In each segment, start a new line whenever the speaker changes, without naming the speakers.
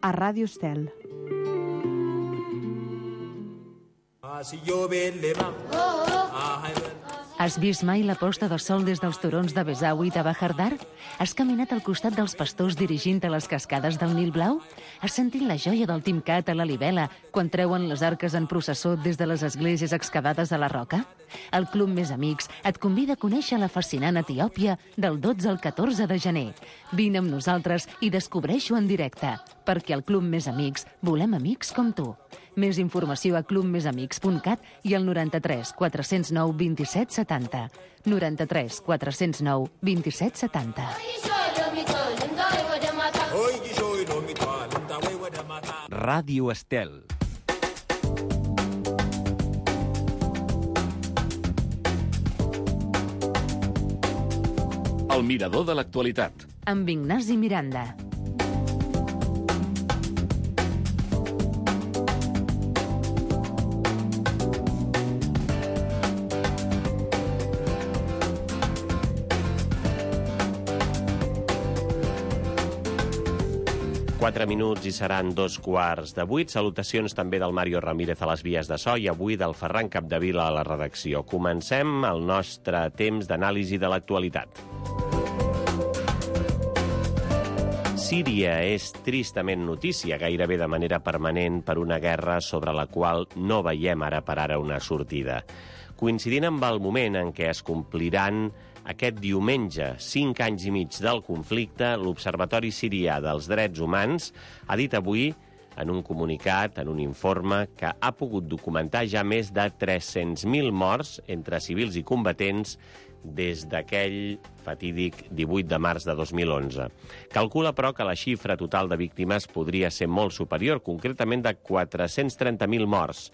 a Ràdio Estel.
Has vist mai la posta de sol des dels turons de Besau i de Bahardar? Has caminat al costat dels pastors dirigint a les cascades del Nil Blau? Has sentit la joia del Timcat a la Libela quan treuen les arques en processó des de les esglésies excavades a la roca? El Club Més Amics et convida a conèixer la fascinant Etiòpia del 12 al 14 de gener. Vine amb nosaltres i descobreix-ho en directe, perquè al Club Més Amics volem amics com tu. Més informació a clubmesamics.cat i al 93 409 27 70. 93 409 27 70.
Ràdio Estel. El mirador de l'actualitat.
Amb Ignasi Miranda.
Quatre minuts i seran 2:15. Salutacions també del Mario Ramírez a les vies de so i avui del Ferran Capdevila a la redacció. Comencem el nostre temps d'anàlisi de l'actualitat. Síria és tristament notícia, gairebé de manera permanent, per una guerra sobre la qual no veiem ara per ara una sortida. Coincidint amb el moment en què es compliran aquest diumenge 5 anys i mig del conflicte, l'Observatori Sirià dels Drets Humans ha dit avui, en un comunicat, en un informe, que ha pogut documentar ja més de 300.000 morts entre civils i combatents des d'aquell fatídic 18 de març de 2011. Calcula, però, que la xifra total de víctimes podria ser molt superior, concretament de 430.000 morts.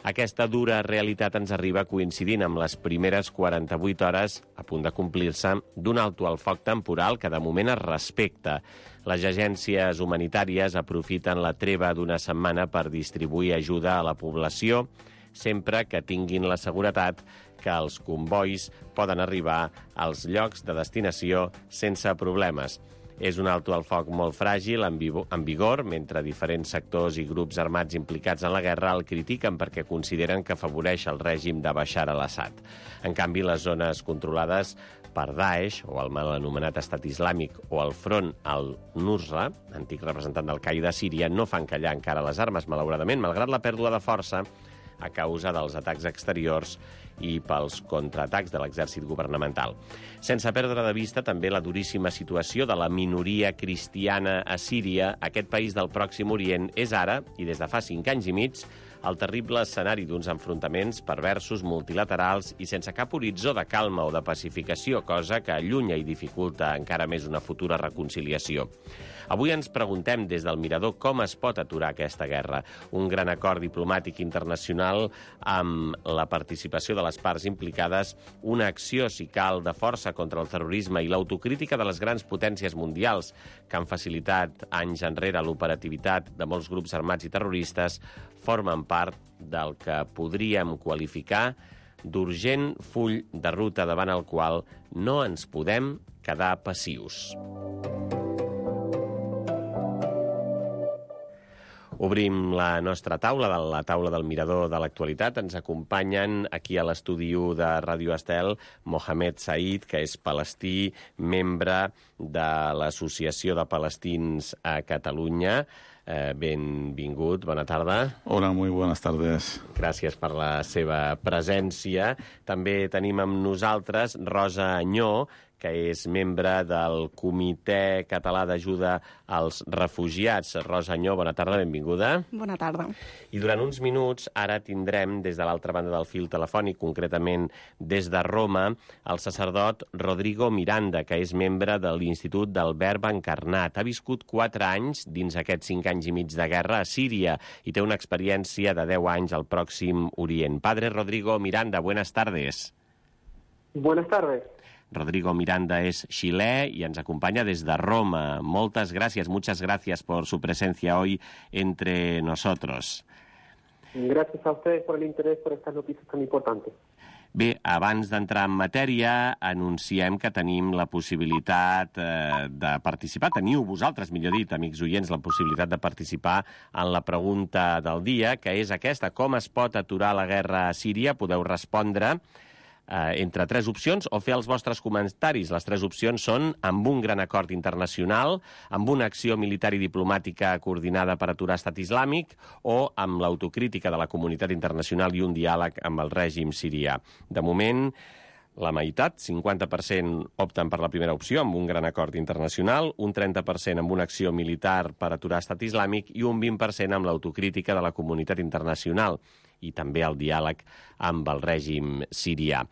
Aquesta dura realitat ens arriba coincidint amb les primeres 48 hores, a punt de complir-se, d'un alto al foc temporal que de moment es respecta. Les agències humanitàries aprofiten la treva d'una setmana per distribuir ajuda a la població, sempre que tinguin la seguretat que els convois poden arribar als llocs de destinació sense problemes. És un alto al foc molt fràgil, en vigor, mentre diferents sectors i grups armats implicats en la guerra el critiquen perquè consideren que afavoreix el règim de Bashar al-Assad. En canvi, les zones controlades per Daesh, o el mal anomenat Estat Islàmic, o el Front al-Nusra, antic representant d'Al-Qaida a Síria, no fan callar encara les armes, malauradament, malgrat la pèrdua de força a causa dels atacs exteriors i pels contraatacs de l'exèrcit governamental. Sense perdre de vista també la duríssima situació de la minoria cristiana a Síria, aquest país del Pròxim Orient és ara, i des de fa 5 anys i mig, el terrible escenari d'uns enfrontaments perversos, multilaterals i sense cap horitzó de calma o de pacificació, cosa que allunya i dificulta encara més una futura reconciliació. Avui ens preguntem des del mirador com es pot aturar aquesta guerra. Un gran acord diplomàtic internacional amb la participació de les parts implicades, una acció, si cal, de força contra el terrorisme i l'autocrítica de les grans potències mundials que han facilitat anys enrere l'operativitat de molts grups armats i terroristes, formen part del que podríem qualificar d'urgent full de ruta davant el qual no ens podem quedar passius. Obrim la nostra taula, la taula del mirador de l'actualitat. Ens acompanyen aquí a l'estudi de Ràdio Estel Mohamed Said, que és palestí, membre de l'Associació de Palestins a Catalunya. Benvingut, bona tarda.
Hola, muy buenas tardes.
Gràcies per la seva presència. També tenim amb nosaltres Rosa Añó, que és membre del Comitè Català d'Ajuda als Refugiats. Rosa Añó, bona tarda, benvinguda.
Bona tarda.
I durant uns minuts ara tindrem des de l'altra banda del fil telefònic, concretament des de Roma, el sacerdot Rodrigo Miranda, que és membre de l'Institut del Verb Encarnat. Ha viscut 4 anys dins aquests 5 anys i mig de guerra a Síria i té una experiència de 10 anys al Pròxim Orient. Padre Rodrigo Miranda, buenas tardes.
Buenas tardes.
Rodrigo Miranda es xilè y nos acompaña desde Roma. Muchas gracias por su presencia hoy entre nosotros.
Gracias a ustedes por el interés por estas noticias tan importantes.
Bé, abans d'entrar en matèria, anunciem que tenim la possibilitat de participar. Teniu vosaltres, millor dit, amics oients, la possibilitat de participar en la pregunta del dia, que és aquesta: com es pot aturar la guerra a Síria? Podeu respondre entre tres opcions o fer els vostres comentaris. Les tres opcions són amb un gran acord internacional, amb una acció militar i diplomàtica coordinada per aturar Estat Islàmic o amb l'autocrítica de la comunitat internacional i un diàleg amb el règim sirià. De moment, la meitat, 50%, opten per la primera opció, amb un gran acord internacional, un 30% amb una acció militar per aturar Estat Islàmic i un 20% amb l'autocrítica de la comunitat internacional i també el diàleg amb el règim sirià.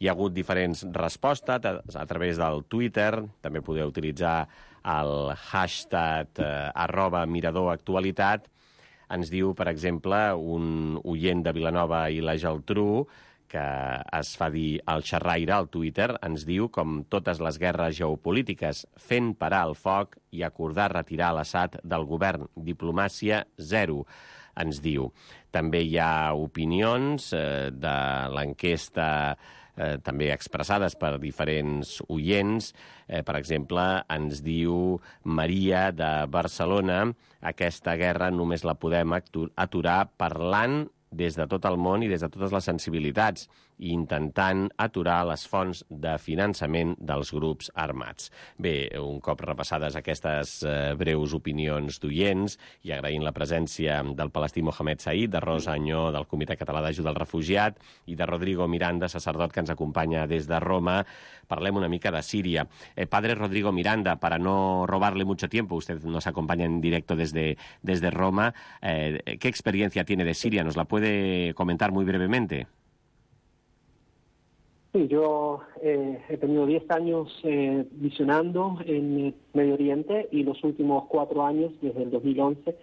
Hi ha hagut diferents respostes a través del Twitter, també podeu utilitzar el hashtag @miradoractualitat. Ens diu, per exemple, un oient de Vilanova i la Geltrú, que es fa dir el xerraire al Twitter, ens diu, com totes les guerres geopolítiques, fent parar el foc i acordar retirar l'Assad del govern. Diplomàcia zero, ens diu. També hi ha opinions de l'enquesta també expressades per diferents oients. Per exemple, ens diu Maria de Barcelona: aquesta guerra només la podem aturar parlant des de tot el món i des de totes les sensibilitats i intentant aturar les fonts de finançament dels grups armats. Bé, un cop repassades aquestes breus opinions d'oients i agraint la presència del palestí Mohamed Said, de Rosa Anyó, del Comitè Català d'Ajuda al Refugiat, i de Rodrigo Miranda, sacerdot que ens acompanya des de Roma, parlem una mica de Síria. Padre Rodrigo Miranda, para no robarle mucho tiempo, usted nos acompaña en directo desde Roma. ¿Qué experiencia tiene de Siria? ¿Nos la puede comentar muy brevemente?
Sí, yo he tenido 10 años misionando en Medio Oriente y los últimos 4 años, desde el 2011,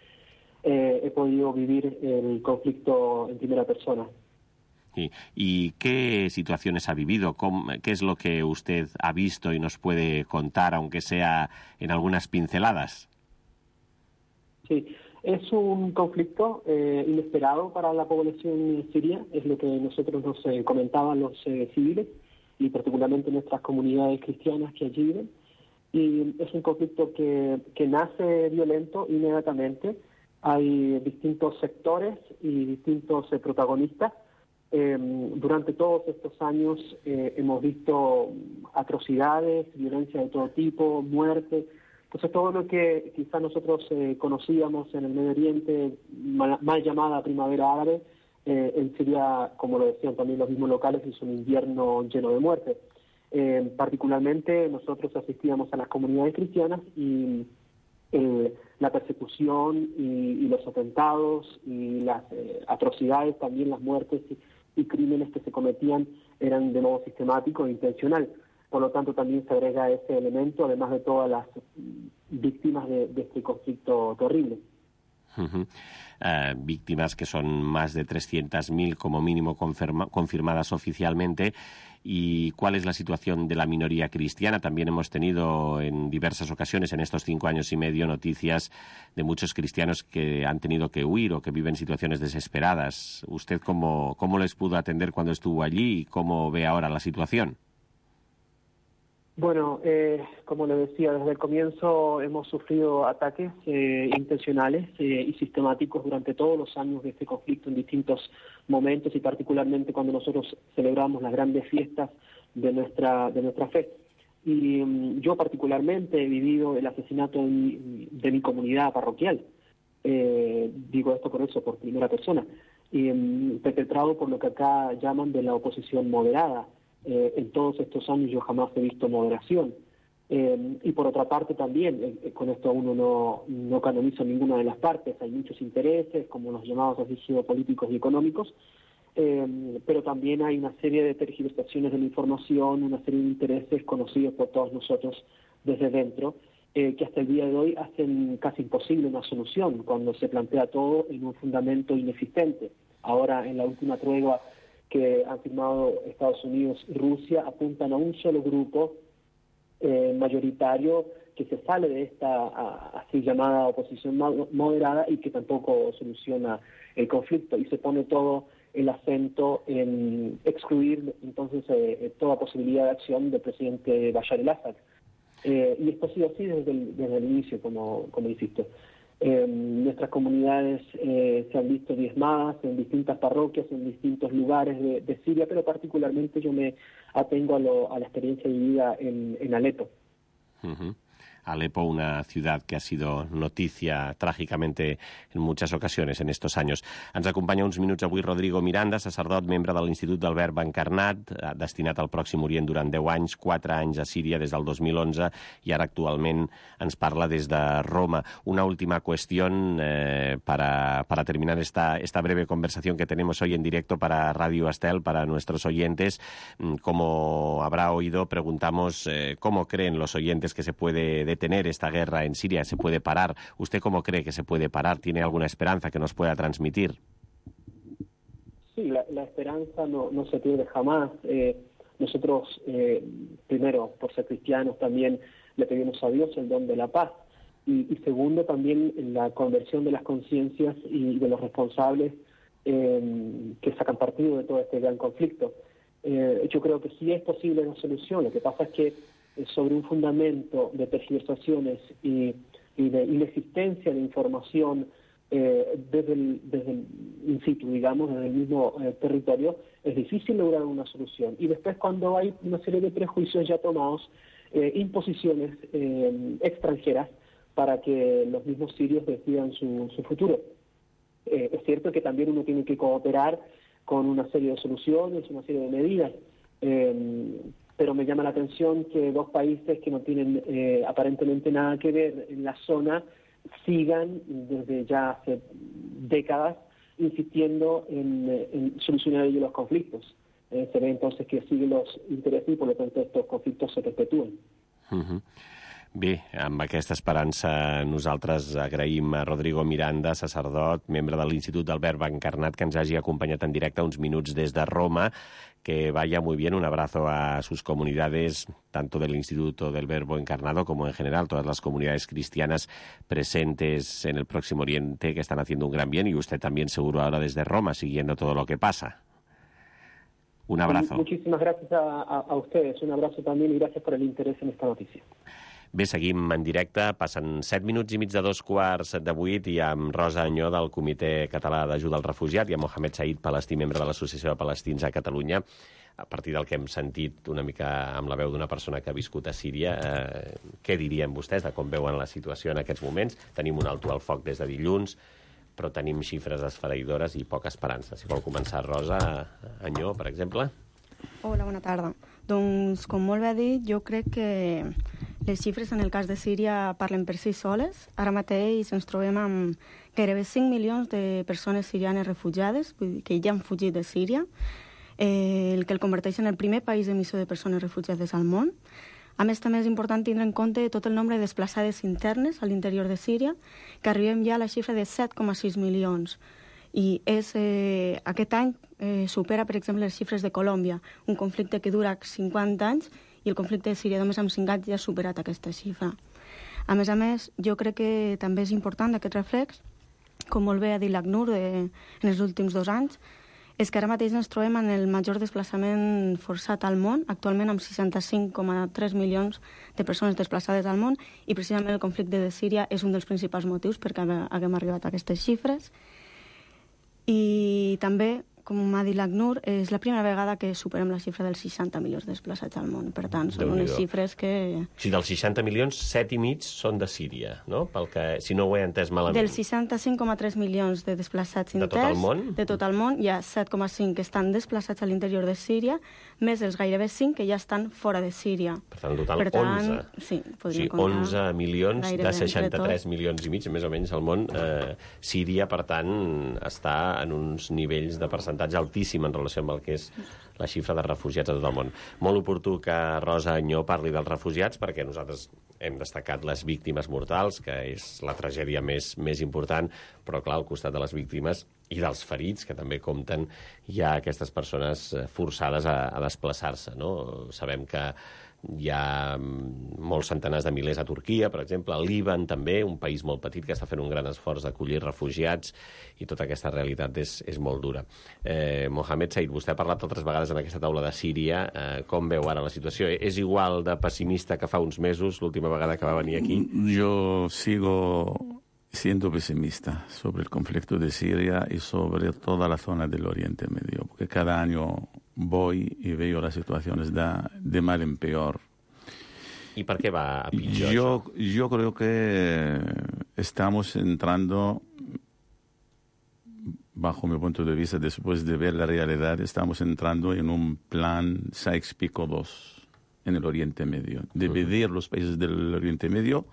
he podido vivir el conflicto en primera persona.
Sí. ¿Y qué situaciones ha vivido? ¿Qué es lo que usted ha visto y nos puede contar, aunque sea en algunas pinceladas?
Sí. Es un conflicto inesperado para la población siria, es lo que nosotros nos comentaban los civiles y particularmente nuestras comunidades cristianas que allí viven. Y es un conflicto que nace violento inmediatamente. Hay distintos sectores y distintos protagonistas. Durante todos estos años hemos visto atrocidades, violencia de todo tipo, muerte. Entonces todo lo que quizás nosotros conocíamos en el Medio Oriente, mal llamada primavera árabe, en Siria, como lo decían también los mismos locales, es un invierno lleno de muerte. Particularmente nosotros asistíamos a las comunidades cristianas y la persecución y los atentados y las atrocidades, también las muertes y crímenes que se cometían eran de modo sistemático e intencional. Por lo tanto, también se agrega ese elemento, además de todas las víctimas de este conflicto terrible.
Víctimas que son más de 300.000 como mínimo confirmadas oficialmente. ¿Y cuál es la situación de la minoría cristiana? También hemos tenido en diversas ocasiones en estos 5 años y medio noticias de muchos cristianos que han tenido que huir o que viven situaciones desesperadas. ¿Usted cómo les pudo atender cuando estuvo allí y cómo ve ahora la situación?
Bueno, como le decía, desde el comienzo hemos sufrido ataques intencionales y sistemáticos durante todos los años de este conflicto en distintos momentos y particularmente cuando nosotros celebramos las grandes fiestas de nuestra fe. Y yo particularmente he vivido el asesinato de mi comunidad parroquial. Digo esto por primera persona. Perpetrado por lo que acá llaman de la oposición moderada. En todos estos años yo jamás he visto moderación. Y por otra parte también, con esto uno no canoniza ninguna de las partes, hay muchos intereses, como los llamados así geopolíticos y económicos, pero también hay una serie de tergiversaciones de la información, una serie de intereses conocidos por todos nosotros desde dentro, que hasta el día de hoy hacen casi imposible una solución cuando se plantea todo en un fundamento inexistente. Ahora, en la última tregua que han firmado Estados Unidos y Rusia, apuntan a un solo grupo mayoritario que se sale de esta así llamada oposición moderada y que tampoco soluciona el conflicto, y se pone todo el acento en excluir entonces toda posibilidad de acción del presidente Bashar al-Assad. Y esto ha sido así desde el inicio, como insisto. Nuestras comunidades se han visto diezmadas en distintas parroquias, en distintos lugares de Siria, pero particularmente yo me atengo a la experiencia vivida en Alepo.
Uh-huh. Alepo, una ciudad que ha sido noticia trágicamente en muchas ocasiones en estos años. Ens acompanya uns minuts avui Rodrigo Miranda, sacerdot, membre de l'Institut del Verb Encarnat, destinat al Pròxim Orient durant 10 anys, 4 anys a Síria des del 2011 i ara actualment ens parla des de Roma. Una última cuestión para terminar esta breve conversación que tenemos hoy en directo para Radio Estel, para nuestros oyentes. Como habrá oído, preguntamos cómo creen los oyentes que se puede detener esta guerra en Siria, se puede parar. ¿Usted cómo cree que se puede parar? ¿Tiene alguna esperanza que nos pueda transmitir?
Sí, la esperanza no se pierde jamás. Nosotros, primero, por ser cristianos, también le pedimos a Dios el don de la paz. Y segundo, también la conversión de las conciencias y de los responsables que sacan partido de todo este gran conflicto. Yo creo que sí es posible una solución. Lo que pasa es que sobre un fundamento de tergiversaciones y de inexistencia de información desde el in situ, digamos, desde el mismo territorio, es difícil lograr una solución. Y después, cuando hay una serie de prejuicios ya tomados, imposiciones extranjeras para que los mismos sirios decidan su futuro. Es cierto que también uno tiene que cooperar con una serie de soluciones, una serie de medidas, pero me llama la atención que dos países que no tienen aparentemente nada que ver en la zona sigan desde ya hace décadas insistiendo en solucionar ellos los conflictos. Se ve entonces que siguen los intereses y por lo tanto estos conflictos se perpetúen.
Uh-huh. Bé, amb aquesta esperança nosaltres agraïm a Rodrigo Miranda, sacerdot, membre de l'Institut del Verb Encarnat, que ens hagi acompanyat en directe uns minuts des de Roma. Que vaya muy bien, un abrazo a sus comunidades, tanto del Instituto del Verbo Encarnado como en general todas las comunidades cristianas presentes en el Próximo Oriente que están haciendo un gran bien, y usted también seguro ahora desde Roma siguiendo todo lo que pasa. Un abrazo.
Muchísimas gracias a ustedes, un abrazo también y gracias por el interés en esta noticia.
Bé, seguim en directe, passen 7 minuts i mig de 7:15 i amb Rosa Anyó del Comitè Català d'Ajuda al Refugiat i amb Mohamed Said Palestí, membre de l'Associació de Palestins a Catalunya. A partir del que hem sentit una mica amb la veu d'una persona que ha viscut a Síria, què dirien vostès de com veuen la situació en aquests moments? Tenim un alto al foc des de dilluns, però tenim xifres esfereïdores i poca esperança. Si vol començar, Rosa Anyó, per exemple.
Hola, bona tarda. Doncs, com molt bé dit, jo crec que les xifres en el cas de Síria parlen per si soles. Ara mateix ens trobem amb gairebé 5 milions de persones sirianes refugiades, que ja han fugit de Síria, el que el converteix en el primer país emissor de persones refugiades al món. A més, també és important tindre en compte tot el nombre de desplaçades internes a l'interior de Síria, que arribem ja a la xifra de 7,6 milions. I aquest any supera, per exemple, les xifres de Colòmbia, un conflicte que dura 50 anys, i el conflicte de Síria només amb 5 anys ja ha superat aquesta xifra. A més, jo crec que també és important aquest reflex, com molt bé ha dit l'ACNUR en els últims 2 anys, és que ara mateix ens trobem en el major desplaçament forçat al món, actualment amb 65,3 milions de persones desplaçades al món, i precisament el conflicte de Síria és un dels principals motius perquè haguem arribat a aquestes xifres. I també, com m'ha dit l'ACNUR, és la primera vegada que superem la xifra dels 60 milions desplaçats al món. Per tant, són unes xifres que...
Si dels 60 milions, 7,5 són de Síria, no? Pel que, si no ho he entès malament.
Dels 65,3 milions de desplaçats interns...
De tot el món?
De tot el món, hi ha 7,5 que estan desplaçats a l'interior de Síria, més els gairebé 5 que ja estan fora de Síria.
Per tant, en total, 11.
Sí, podríem
comptar. 11 milions de 63 milions i mig, més o menys, al món. Síria, per tant, està en uns nivells de percentatge altíssim en relació amb el que és la xifra de refugiats a tot el món. Molt oportú que Rosa Anyó parli dels refugiats, perquè nosaltres hem destacat les víctimes mortals, que és la tragèdia més important, però clar, al costat de les víctimes i dels ferits, que també compten, hi ha aquestes persones forçades a desplaçar-se, no? Sabem que Hi ha molts centenars de milers a Turquia, per exemple, al Líban també, un país molt petit que està fent un gran esforç d'acollir refugiats, i tota aquesta realitat és molt dura. Mohamed Said, vostè ha parlat altres vegades en aquesta taula de Síria. Com veu ara la situació? És igual de pessimista que fa uns mesos, l'última vegada que va venir aquí?
Yo sigo siendo pesimista sobre el conflicto de Siria y sobre toda la zona del Oriente Medio, porque cada año voy y veo las situaciones de mal en peor.
I per què va a pitjor?
Yo creo que estamos entrando, bajo mi punto de vista, después de ver la realidad, estamos entrando en un plan Sykes-Picot II en el Oriente Medio. Dividir los países del Oriente Medio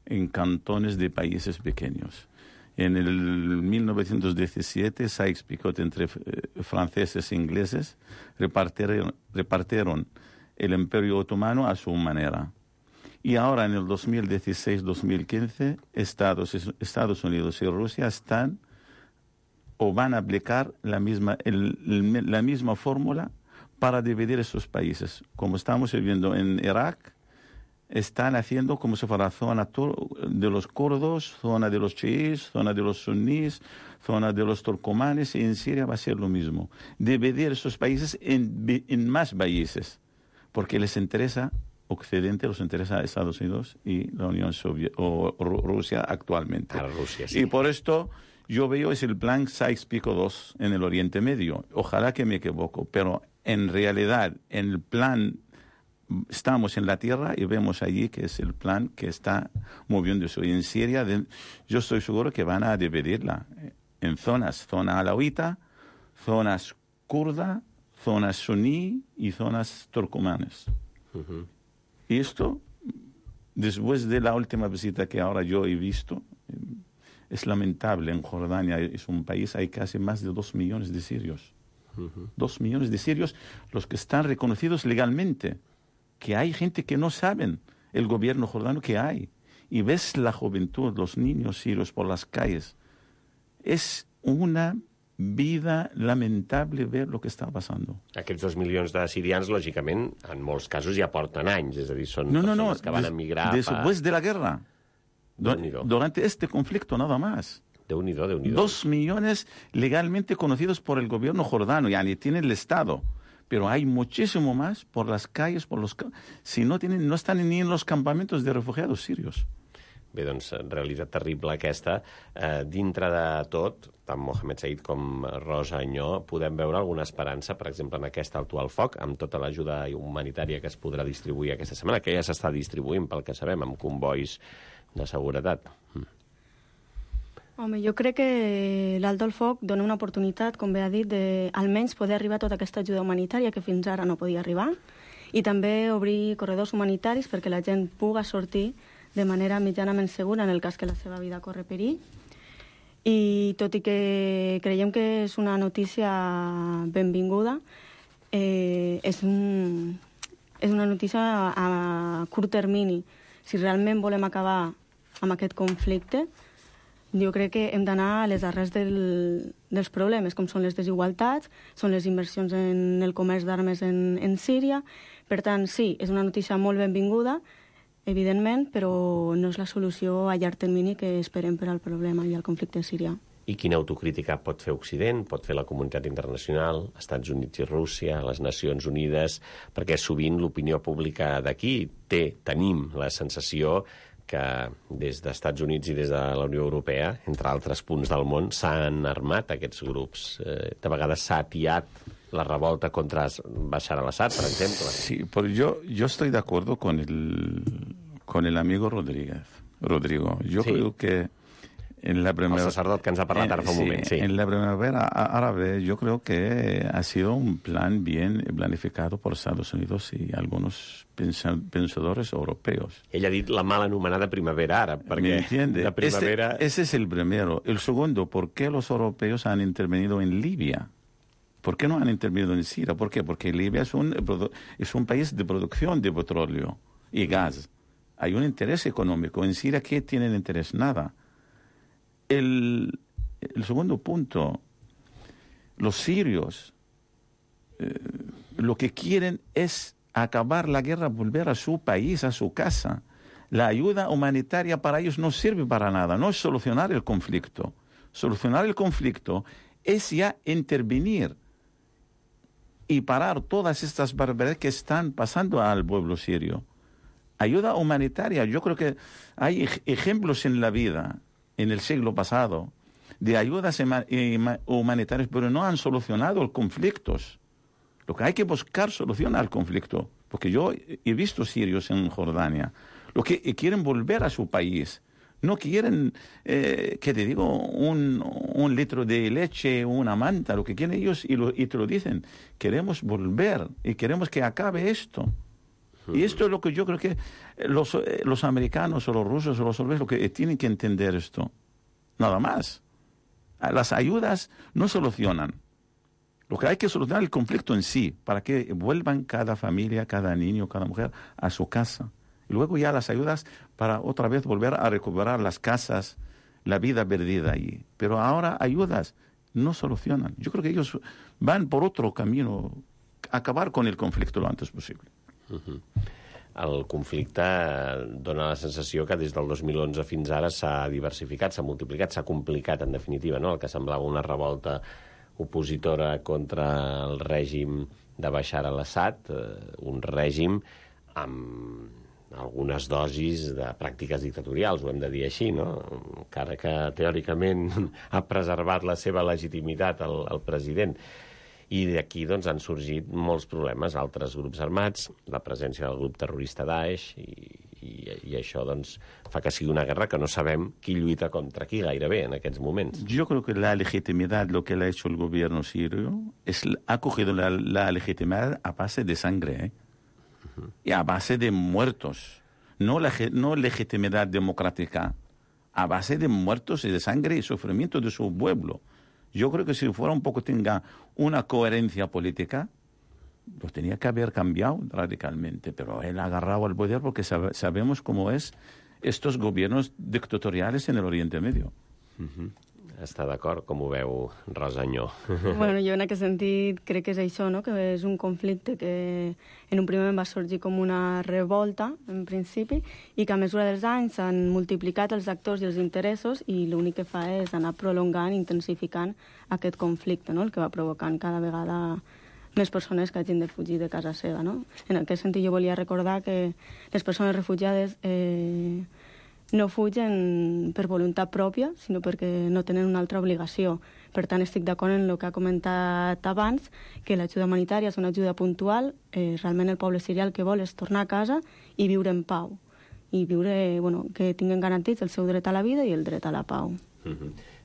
en cantones de países pequeños. En el 1917, Sykes-Picot entre franceses e ingleses repartieron el Imperio Otomano a su manera. Y ahora, en el 2016-2015, Estados Unidos y Rusia están o van a aplicar la misma fórmula para dividir esos países. Como estamos viviendo en Irak, están haciendo como si fuera zona de los kurdos, zona de los chiíes, zona de los sunníes, zona de los turcomanes, y en Siria va a ser lo mismo. Dividir esos países en más países, porque les interesa Occidente, les interesa Estados Unidos y la Unión Soviética o Rusia actualmente.
Para Rusia, sí.
Y por esto yo veo es el plan Sykes-Picot II en el Oriente Medio. Ojalá que me equivoco, pero en realidad en el plan estamos en la tierra y vemos allí que es el plan que está moviéndose. Y en Siria yo estoy seguro que van a dividirla en zonas, zona alauita, zonas kurda, zonas suní y zonas turcomanas. Y esto, después de la última visita que ahora yo he visto, es lamentable. En Jordania es un país, hay casi más de 2 millones de sirios. 2 millones de sirios, los que están reconocidos legalmente. Que hay gente que no saben el gobierno jordano que hay. Y ves la juventud, los niños sirios por las calles. Es una vida lamentable ver lo que està passant.
Aquests 2 milions de sirians, lògicament, en molts casos ja porten anys, és a dir, són persones que van emigrar
después de la guerra, durante este conflicto nada más.
Déu-n'hi-do, Déu-n'hi-do.
2 millones legalmente conocidos por el gobierno jordano, yani tiene el Estado, pero hay muchísimo más por las calles, si no están ni en los campamentos de refugiados sirios.
Bé, doncs, realitat terrible aquesta. Dintre de tot, tant Mohamed Said com Rosa Añó, podem veure alguna esperança, per exemple, en aquest alto al foc, amb tota l'ajuda humanitària que es podrà distribuir aquesta setmana, que ja s'està distribuint, pel que sabem, amb convois de seguretat.
Home, jo crec que l'alto al foc dona una oportunitat, com bé ha dit, de almenys poder arribar a tota aquesta ajuda humanitària que fins ara no podia arribar, i també obrir corredors humanitaris perquè la gent puga sortir de manera mitjanament segura en el cas que la seva vida corre perill. I tot i que creiem que és una notícia benvinguda, és una notícia a curt termini. Si realment volem acabar amb aquest conflicte, jo crec que hem d'anar a les arrels dels problemes, com són les desigualtats, són les inversions en el comerç d'armes en Síria. Per tant, sí, és una notícia molt benvinguda, evidentment, però no és la solució a llarg termini que esperem per al problema i al conflicte sirià.
I quina autocrítica pot fer Occident, pot fer la comunitat internacional, Estats Units i Rússia, les Nacions Unides, perquè sovint l'opinió pública d'aquí tenim la sensació que des dels Units i des de la Unió Europea, entre altres punts del món, s'han armat aquests grups. De vegades s'ha atiat la revolta contra Bashar al-Assad, per exemple.
Sí, pero yo estoy de acuerdo con el amigo Rodrigo. Yo creo que en la primera...
El sacerdot que ens ha parlat ara fa un moment, sí.
En la primavera árabe yo creo que ha sido un plan bien planificado por Estados Unidos y algunos pensadores europeos.
Ell ha dit la mal anomenada primavera àrab, perquè
¿Me entiende?
la primavera...
Ese es el primero. El segundo, ¿por qué los europeos han intervenido en Libia? ¿Por qué no han intervenido en Siria? ¿Por qué? Porque Libia es un país de producción de petróleo y gas. Hay un interés económico. En Siria, ¿qué tienen interés? Nada. El segundo punto, los sirios lo que quieren es acabar la guerra, volver a su país, a su casa. La ayuda humanitaria para ellos no sirve para nada, no es solucionar el conflicto. Solucionar el conflicto es ya intervenir y parar todas estas barbaridades que están pasando al pueblo sirio. Ayuda humanitaria, yo creo que hay ejemplos en la vida, en el siglo pasado, de ayudas humanitarias, pero no han solucionado los conflictos. Lo que hay que buscar solución al conflicto, porque yo he visto sirios en Jordania, los que quieren volver a su país, no quieren, que te digo, un litro de leche, una manta, lo que quieren ellos, y te lo dicen, queremos volver y queremos que acabe esto. Y esto es lo que yo creo que los americanos o los rusos o los soldados lo que tienen que entender esto. Nada más. Las ayudas no solucionan. Lo que hay que solucionar es el conflicto en sí, para que vuelvan cada familia, cada niño, cada mujer a su casa. Y luego ya las ayudas para otra vez volver a recuperar las casas, la vida perdida allí. Pero ahora ayudas no solucionan. Yo creo que ellos van por otro camino, acabar con el conflicto lo antes posible.
El conflicte dona la sensació que des del 2011 fins ara s'ha diversificat, s'ha multiplicat, s'ha complicat, en definitiva, no? El que semblava una revolta opositora contra el règim de Bashar al-Assad, un règim amb algunes dosis de pràctiques dictatorials, ho hem de dir així, no? Encara que teòricament ha preservat la seva legitimitat el president. I d'aquí doncs, han sorgit molts problemes, altres grups armats, la presència del grup terrorista Daesh, i això doncs, fa que sigui una guerra que no sabem qui lluita contra qui gairebé en aquests moments.
Yo creo que la legitimidad, lo que le ha hecho el gobierno sirio, ha cogido la legitimidad a base de sangre, y a base de muertos, no legitimidad democrática, a base de muertos y de sangre y sufrimiento de su pueblo. Yo creo que si fuera un poco, tenga una coherencia política, pues tenía que haber cambiado radicalmente, pero él ha agarrado al poder porque sabemos cómo es estos gobiernos dictatoriales en el Oriente Medio.
Està d'acord? Com ho veu, Rosa Añó?
Bueno, jo en aquest sentit crec que és això, no? Que és un conflicte que en un primer moment va sorgir com una revolta, en principi, i que a mesura dels anys s'han multiplicat els actors i els interessos i l'únic que fa és anar prolongant, intensificant aquest conflicte, no? El que va provocant cada vegada més persones que hagin de fugir de casa seva, no? En aquest sentit jo volia recordar que les persones refugiades no fugen per voluntat pròpia, sinó perquè no tenen una altra obligació. Per tant, estic d'acord en el que ha comentat abans, que l'ajuda humanitària és una ajuda puntual. Realment el poble sirià el que vol és tornar a casa i viure en pau. I viure, bueno, que tinguin garantits el seu dret a la vida i el dret a la pau.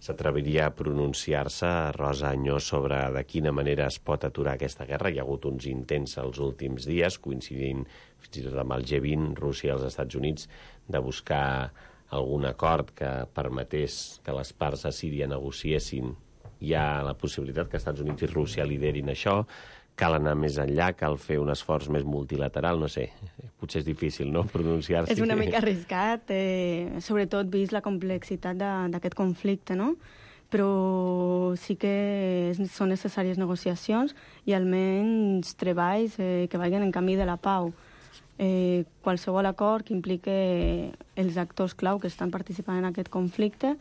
S'atreviria a pronunciar-se, Rosa Añó, sobre de quina manera es pot aturar aquesta guerra? Hi ha hagut uns intents els últims dies, coincidint fins i tot amb el G20, Rússia i els Estats Units, de buscar algun acord que permetés que les parts a Síria negociessin. Hi ha la possibilitat que Estats Units i Rússia liderin això. Cal anar més enllà, cal fer un esforç més multilateral, no sé, potser és difícil, no?, pronunciar-s'hi.
És una mica arriscat, sobretot vist la complexitat d'aquest conflicte, no? Però sí que són necessàries negociacions i almenys treballs que vagin en camí de la pau. Qualsevol acord que implique els actors clau que estan participant en aquest conflicte,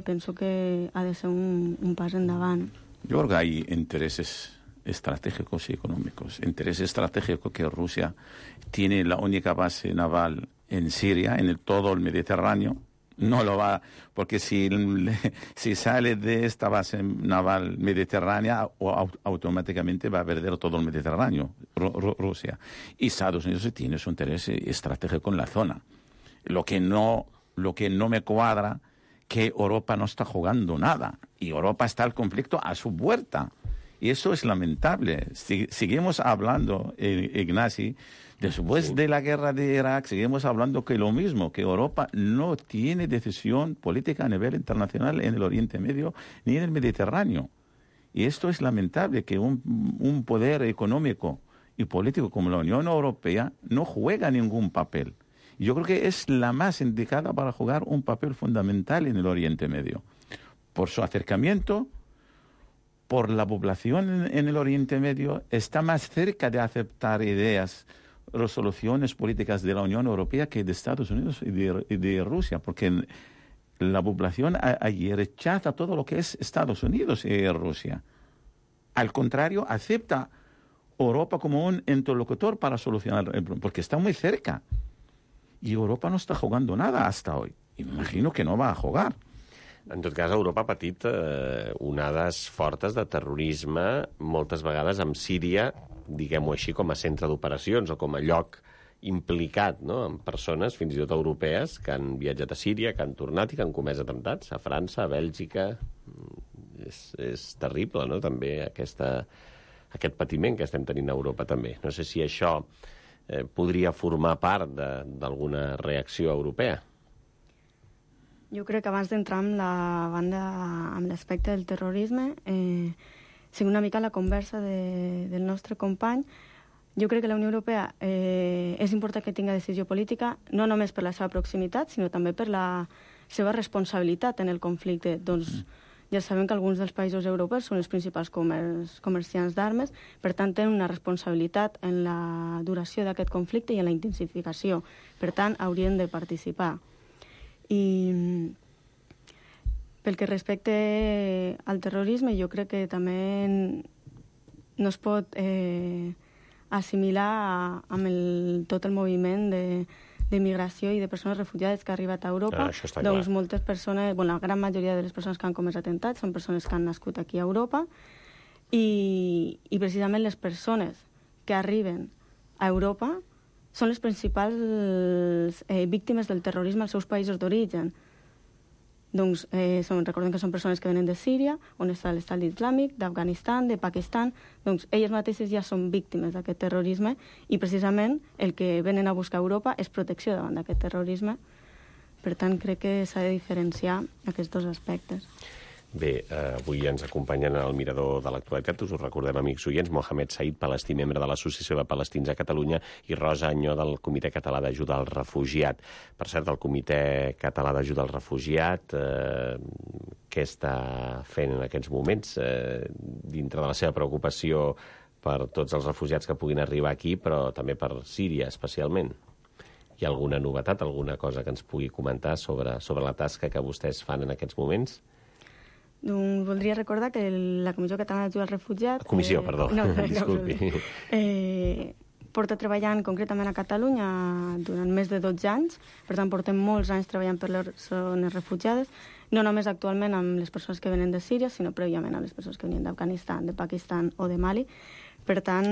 penso que ha de ser un pas endavant.
Yo creo que hay intereses estratégicos y económicos. Interés estratégico que Rusia tiene la única base naval en Siria, en todo el Mediterráneo. No lo va, porque si sale de esta base naval mediterránea, automáticamente va a perder todo el Mediterráneo, Rusia. Y Estados Unidos tiene su interés estratégico en la zona. Lo que no me cuadra, que Europa no está jugando nada. Y Europa está al conflicto a su puerta. Y eso es lamentable. Seguimos hablando, Ignasi, después de la guerra de Irak, seguimos hablando que lo mismo, que Europa no tiene decisión política a nivel internacional en el Oriente Medio ni en el Mediterráneo. Y esto es lamentable, que un poder económico y político como la Unión Europea no juega ningún papel. Yo creo que es la más indicada para jugar un papel fundamental en el Oriente Medio. Por su acercamiento, por la población en el Oriente Medio está más cerca de aceptar ideas, resoluciones políticas de la Unión Europea que de Estados Unidos y de Rusia, porque la población allí rechaza todo lo que es Estados Unidos y Rusia. Al contrario, acepta Europa como un interlocutor para solucionar el problema, porque está muy cerca. Y Europa no està jugando nada hasta hoy. Imagino que no va a jugar.
En tot cas, Europa ha patit onades fortes de terrorisme, moltes vegades amb Síria, diguem-ho així, com a centre d'operacions o com a lloc implicat, no?, amb persones, fins i tot europees, que han viatjat a Síria, que han tornat i que han comès atemptats a França, a Bèlgica. És terrible, no?, també aquest patiment que estem tenint a Europa, també. No sé si això podria formar part d'alguna reacció europea.
Jo crec que abans d'entrar amb l'aspecte del terrorisme, sigui una mica la conversa del nostre company, jo crec que la Unió Europea és important que tingui decisió política, no només per la seva proximitat, sinó també per la seva responsabilitat en el conflicte. Doncs ja sabem que alguns dels països europeus són els principals comerciants d'armes, per tant tenen una responsabilitat en la duració d'aquest conflicte i en la intensificació. Per tant, haurien de participar. I pel que respecte al terrorisme, jo crec que també no es pot assimilar amb tot el moviment de migració i de persones refugiades que ha arribat a Europa. Doncs moltes persones, la gran majoria de les persones que han comès atemptats són persones que han nascut aquí a Europa i precisament les persones que arriben a Europa són les principals víctimes del terrorisme als seus països d'origen. Doncs recordem que són persones que venen de Síria, on està l'estat islàmic, d'Afganistan, de Pakistan. Doncs elles mateixes ja són víctimes d'aquest terrorisme i precisament el que venen a buscar a Europa és protecció davant d'aquest terrorisme. Per tant, crec que s'ha de diferenciar aquests dos aspectes.
Bé, avui ens acompanyen al Mirador de l'Actualitat, us ho recordem, amics oients, Mohamed Said, palestí, membre de l'Associació de Palestins a Catalunya, i Rosa Añó, del Comitè Català d'Ajuda al Refugiat. Per cert, el Comitè Català d'Ajuda al Refugiat, què està fent en aquests moments, dintre de la seva preocupació per tots els refugiats que puguin arribar aquí, però també per Síria, especialment? Hi ha alguna novetat, alguna cosa que ens pugui comentar sobre la tasca que vostès fan en aquests moments?
Doncs voldria recordar que la Comissió Catalana d'Ajuda al Refugiat...
Comissió, perdó, disculpi.
Porta treballant concretament a Catalunya durant més de 12 anys, per tant portem molts anys treballant per les persones refugiades, no només actualment amb les persones que venen de Síria, sinó prèviament amb les persones que venien d'Afganistan, de Pakistan o de Mali. Per tant,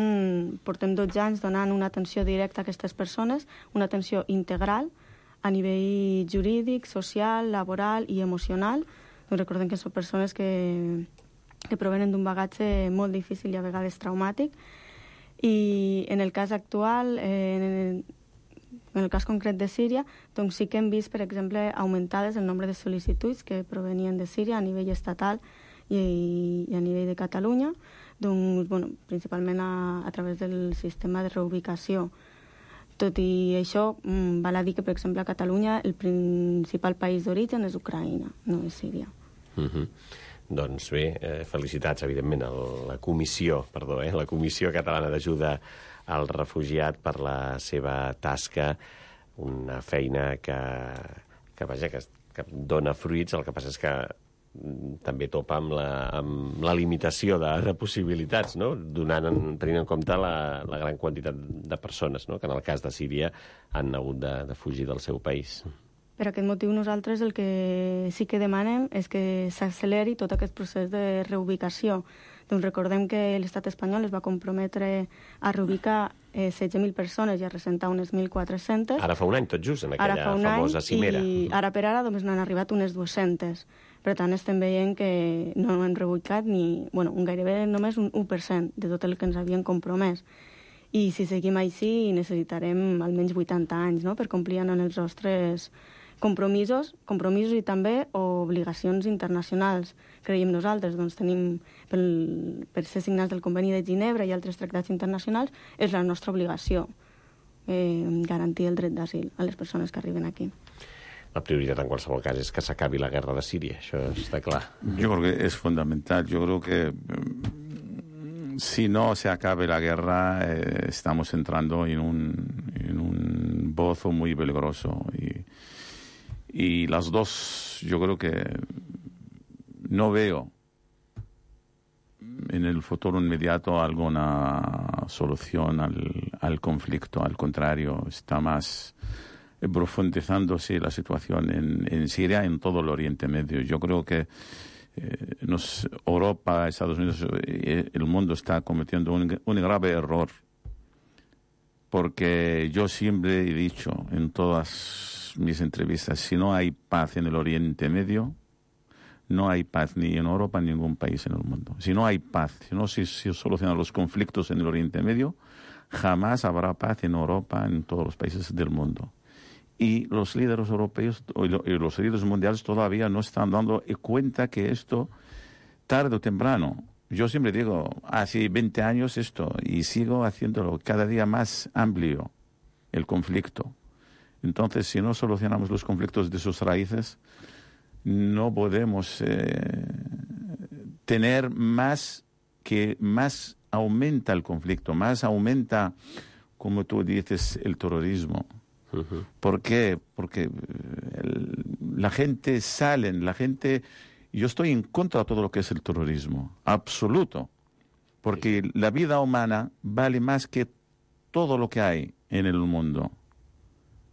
portem 12 anys donant una atenció directa a aquestes persones, una atenció integral a nivell jurídic, social, laboral i emocional. Recordem que són persones que provenen d'un bagatge molt difícil i a vegades traumàtic. I en el cas actual, en el cas concret de Síria, doncs sí que hem vist, per exemple, augmentades el nombre de sol·licituds que provenien de Síria a nivell estatal i a nivell de Catalunya, doncs, principalment a través del sistema de reubicació. Tot i això, val a dir que, per exemple, a Catalunya el principal país d'origen és Ucraïna, no és Síria.
Doncs bé, felicitats, evidentment, a la Comissió Catalana d'Ajuda al Refugiat per la seva tasca, una feina que dona fruits. El que passa és que també topa amb la limitació de possibilitats, no?, tenint en compte la gran quantitat de persones, no?, que en el cas de Síria han hagut de fugir del seu país.
Per aquest motiu nosaltres el que sí que demanem és que s'acceleri tot aquest procés de reubicació. Doncs recordem que l'estat espanyol es va comprometre a reubicar 16.000 persones i a ressentar unes 1.400.
Ara fa un any, tot just, en aquella famosa cimera.
I ara per ara només n'han arribat unes 200. Per tant, estem veient que no han reubicat gairebé només un 1% de tot el que ens havien compromès. I si seguim així necessitarem almenys 80 anys, no?, per complir amb els nostres compromisos i també obligacions internacionals. Creiem nosaltres, doncs tenim, per ser signats del Conveni de Ginebra i altres tractats internacionals, és la nostra obligació garantir el dret d'asil a les persones que arriben aquí.
La prioritat en qualsevol cas és que s'acabi la guerra de Síria, això està clar.
Yo creo que es fundamental. Yo creo que si no se acabe la guerra, estamos entrando en un pozo muy peligroso. Y las dos, yo creo que no veo en el futuro inmediato alguna solución al conflicto. Al contrario, está más profundizándose la situación en Siria, en todo el Oriente Medio. Yo creo que Europa, Estados Unidos, el mundo está cometiendo un grave error, porque yo siempre he dicho en todas mis entrevistas, si no hay paz en el Oriente Medio, no hay paz ni en Europa ni en ningún país en el mundo. Si no hay paz, si no se solucionan los conflictos en el Oriente Medio, jamás habrá paz en Europa, en todos los países del mundo. Y los líderes europeos y los líderes mundiales todavía no están dando cuenta que esto, tarde o temprano, yo siempre digo, hace 20 años esto, y sigo haciéndolo cada día más amplio, el conflicto. Entonces, si no solucionamos los conflictos de sus raíces, no podemos tener más aumenta el conflicto, más aumenta, como tú dices, el terrorismo. Uh-huh. ¿Por qué? Porque la gente yo estoy en contra de todo lo que es el terrorismo, absoluto, porque la vida humana vale más que todo lo que hay en el mundo.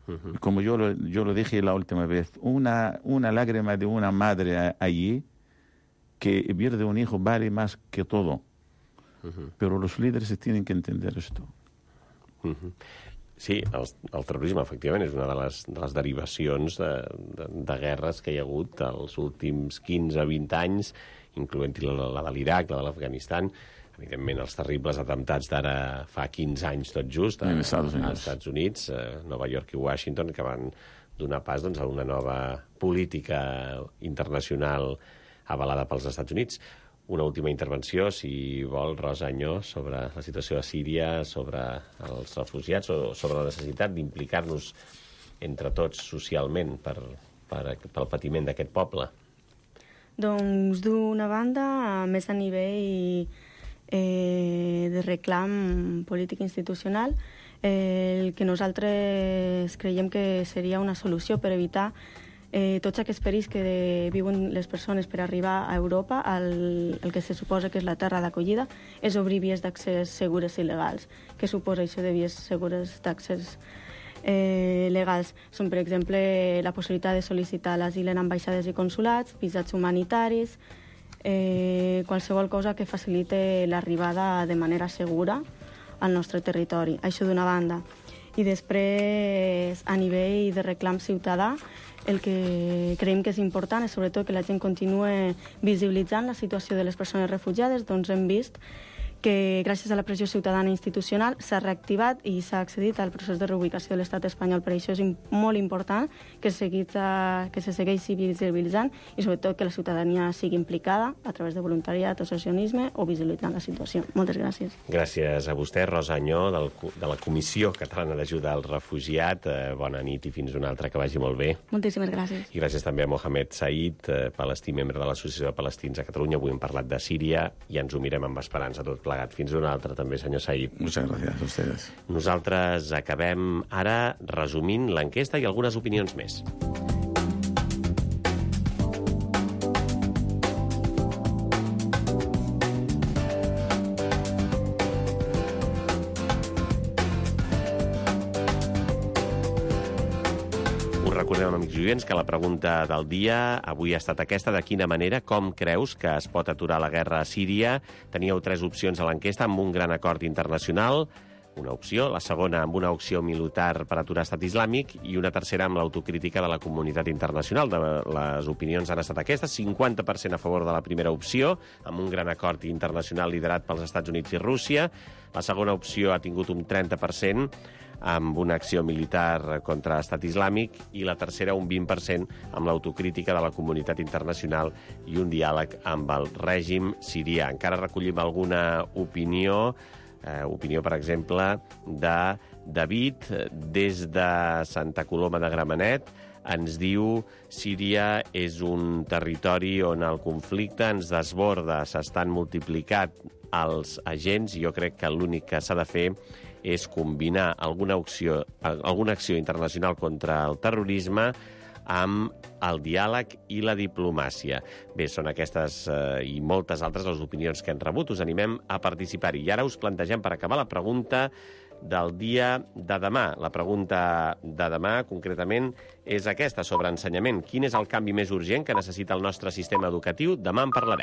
Uh-huh. Como yo lo dije la última vez, una lágrima de una madre allí que pierde un hijo vale más que todo. Uh-huh. Pero los líderes tienen que entender esto.
Uh-huh. Sí, el terrorisme, efectivament, és una de les derivacions de guerres que hi ha hagut els últims 15-20 anys, incloent-hi la de l'Iraq, la de l'Afganistan, evidentment els terribles atemptats d'ara fa 15 anys tot just als Estats Units, Nova York i Washington, que van donar pas a una nova política internacional avalada pels Estats Units. Una última intervenció, si vol, Rosa Añó, sobre la situació a Síria, sobre els refugiats o sobre la necessitat d'implicar-nos entre tots socialment pel patiment d'aquest poble.
Doncs, d'una banda, més a nivell de reclam polític institucional, el que nosaltres creiem que seria una solució per evitar tots aquests perills que viuen les persones per arribar a Europa, el que se suposa que és la terra d'acollida, és obrir vies d'accés segures i legals. Què suposa això de vies segures d'accés legals? Són, per exemple, la possibilitat de sol·licitar l'asil en ambaixades i consulats, visats humanitaris, qualsevol cosa que facilite l'arribada de manera segura al nostre territori. Això d'una banda. I després, a nivell de reclam ciutadà, el que creiem que és important és sobretot que la gent continue visibilitzant la situació de les persones refugiades. Doncs hem vist que gràcies a la pressió ciutadana institucional s'ha reactivat i s'ha accedit al procés de reubicació de l'estat espanyol. Per això és molt important que se segueixi visibilitzant i sobretot que la ciutadania sigui implicada a través de voluntariat, associacionisme o visibilitzant la situació. Moltes gràcies.
Gràcies a vostè, Rosa Añó, de la Comissió Catalana d'Ajuda al Refugiat. Bona nit i fins una altra, que vagi molt bé.
Moltíssimes gràcies.
I gràcies també a Mohamed Said, palestí, membre de l'Associació de Palestins a Catalunya. Avui hem parlat de Síria i ens ho mirem amb esperança tot plegat. Fins una altra, també, senyor Said.
Muchas gracias a ustedes.
Nosaltres acabem ara resumint l'enquesta i algunes opinions més. Recordem, amics i oients, que la pregunta del dia avui ha estat aquesta: de quina manera, com creus que es pot aturar la guerra a Síria? Teníeu 3 opcions a l'enquesta: amb un gran acord internacional, una opció; la segona, amb una opció militar per aturar Estat Islàmic; i una tercera, amb l'autocrítica de la comunitat internacional. Les opinions han estat aquestes: 50% a favor de la primera opció, amb un gran acord internacional liderat pels Estats Units i Rússia. La segona opció ha tingut un 30%, amb una acció militar contra Estat Islàmic, i la tercera un 20% amb l'autocrítica de la comunitat internacional i un diàleg amb el règim sirià. Encara recollim alguna opinió, per exemple, de David, des de Santa Coloma de Gramenet. Ens diu: Síria és un territori on el conflicte ens desborda, s'estan multiplicant als agents. Jo crec que l'únic que s'ha de fer és combinar alguna acció internacional contra el terrorisme amb el diàleg i la diplomàcia. Bé, són aquestes i moltes altres les opinions que hem rebut. Us animem a participar-hi. I ara us plantegem, per acabar, la pregunta del dia de demà. La pregunta de demà, concretament, és aquesta, sobre ensenyament. Quin és el canvi més urgent que necessita el nostre sistema educatiu? Demà en parlarem.